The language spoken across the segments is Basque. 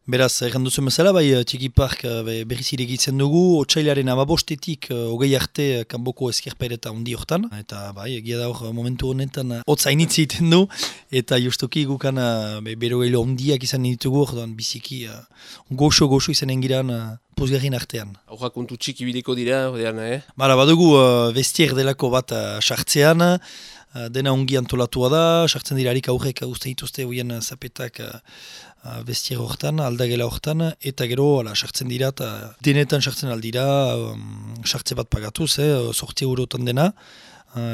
Beraz, erran duzu bezala, bai, Txiki Park berriz irekitzen dugu, otsailaren 15-etik 20 arte kanboko ezkerpaireta handi hortan. Eta bai, egia da hor momentu honetan hotz hainitze egiten du, eta justuki gukan berogeilo handiak izan ditugu, orduan biziki goxo izanen giran pozgarrin artean. Aurra kontu txiki bideko dira, ordean, Bara, badugu vestier delako bat sartzean, dena ongi antolatua da, sartzen dira harik aurrek uste dituzte hoien zapetak vestier hortan, aldagela hortan, eta gero sartzen dira, eta denetan sartzen aldira, sartze bat pagatuz, 8 eurotan dena,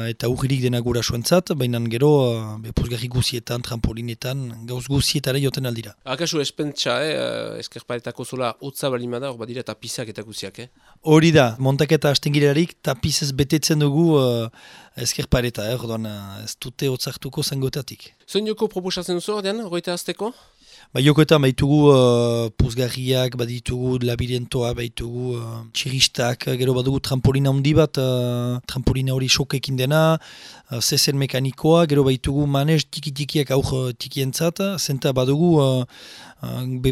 eta urririk dena gura suentzat, baina gero pozgarri guzietan, trampolinetan, gauz guzietara joten aldira. Akasu espentsa, ezkerparetako zola hotza balimada, hor badira tapizak eta guziak, Hori da, montaketa hasten girelarik tapizez betetzen dugu ezkerpareta, orduan ez dute hotzartuko zangotatik. Zoin joko proposatzen duzu, ordean, goita azteko? Jokoetan baitugu puzgarriak, baditugu labirintoa, baitugu txiristak, gero badugu trampolina handi bat, trampolina hori sokekin dena, zezen mekanikoa, gero baitugu manez tiki-tikiak aur tikientzat, zenta badugu,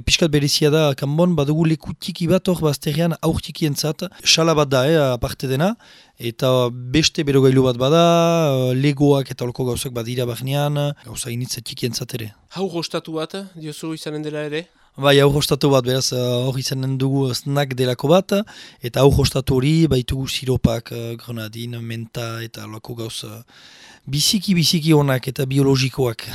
piskat berezia da kanbon, badugu leku tiki bat hor bazterrean aur tikientzat, xala bat da, aparte dena, eta beste berogailu bat bada, legoak eta olko gauzak badira barnean, gauza initza tikientzat ere. Hau ostatu bat, diozu izanen dela ere? Bai, ostatu bat, beraz, hor izanen dugu snack delako bat, eta ostatu hori baitugu siropak, grenadin, menta eta olako gauz biziki onak eta biologikoak.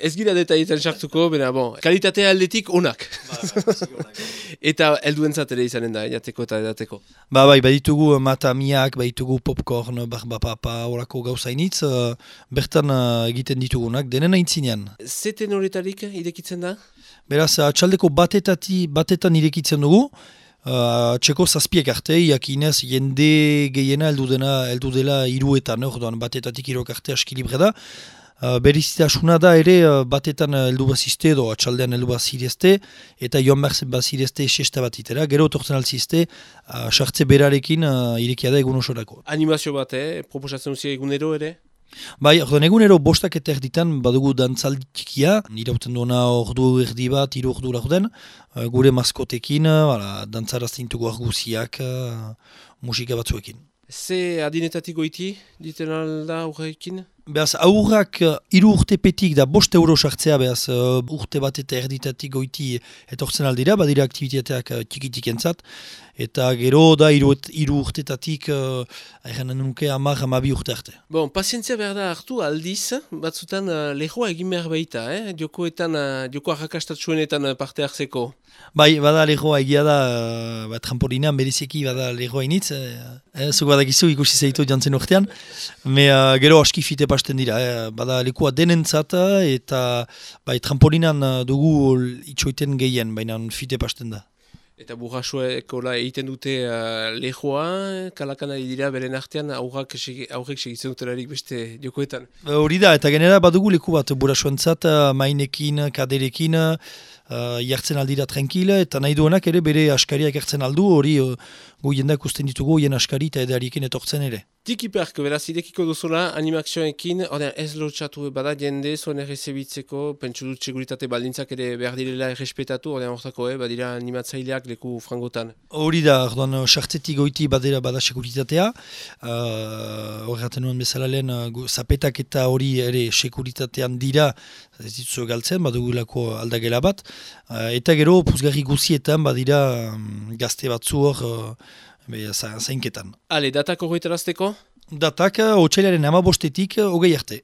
Ez gira detaietan sartuko, bena, kalitatea aldetik onak. Eta helduentzat ere izanen da, jateko eta edateko. Bai, baditugu matamiak, baditugu popcorn, barbapapa, horako gauzainitz, bertan egiten ditugunak, denen aintzinean. Zeten horretarik irekitzen da? Beraz, atxaldeko batetan irekitzen dugu, txeko zazpiek arte, iakinez jende gehiena heldu dela 3etan, orduan batetatik 3 arte aski libre da. Berezitasuna da ere batetan heldu bazizte edo atxaldean heldu bazirezte eta joan behar bazirezte sexta bat itera, gero tortzen alzizte sartze berarekin irekia da egun osorako. Animazio bat, proposatzen duzia egunero ere? Bai, orduan egunero bostak eta erditan badugu dantzaldi txikia, irauten duena ordu erdi bat, 3 ordu laurden, gure maskotekin, dantzarazten dugu arguziak, musika batzuekin. Ze adinetatik goiti, diten alda aurrekin? Beaz, aurrak 3 urtepetik da 5 euro sartzea, beaz, urte bat eta erditatik goiti etortzen aldira, badira aktivitateak txikitik entzat, eta gero da 3 urtetatik, erranen nuke 10-12 urte arte. Pazientzia behar da hartu aldiz, batzutan lehoa egin behar baita, joko arrakastatsuenetan parte hartzeko. Bai, bada lehoa egia da, trampolinan bereziki bada lehoa initz, zuk badakizu ikusi zeitu jantzen urtean, gero aski fite pasten dira, bada lekua denentzat eta trampolinan dugu itxoiten gehien, baina fite pasten da. Eta burrasuekola egiten dute lehoa, kalakan ari dira beren artean aurrek segitzen dutelarik beste jokoetan. Hori da, eta genera badugu leku bat burrasuentzat, mainekin, kaderekin, jartzen aldira tranquil, eta nahi duenak ere bere askariak hartzen aldu, hori gu jendak usten ditugu hien askari eta edariekin etortzen ere. Txiki Park, beraz, idekiko duzula animakzioekin, ez lotxatu bada jende, zuen errezebitzeko, pentsu dut seguritate baldintzak ere behar direla errespetatu, hortako, badira animatzaileak leku frangotan. Hori da, orduan, sartzetik goiti bada seguritatea, horregaten nuen bezala lehen, zapetak eta hori ere seguritatean dira, ez dituzu galtzen, badugulako aldagela bat, eta gero, puzgarri guzietan, badira gazte batzu hor, zainketan. Datak horretarazteko? Datak, otsailaren 15-etik 20 arte.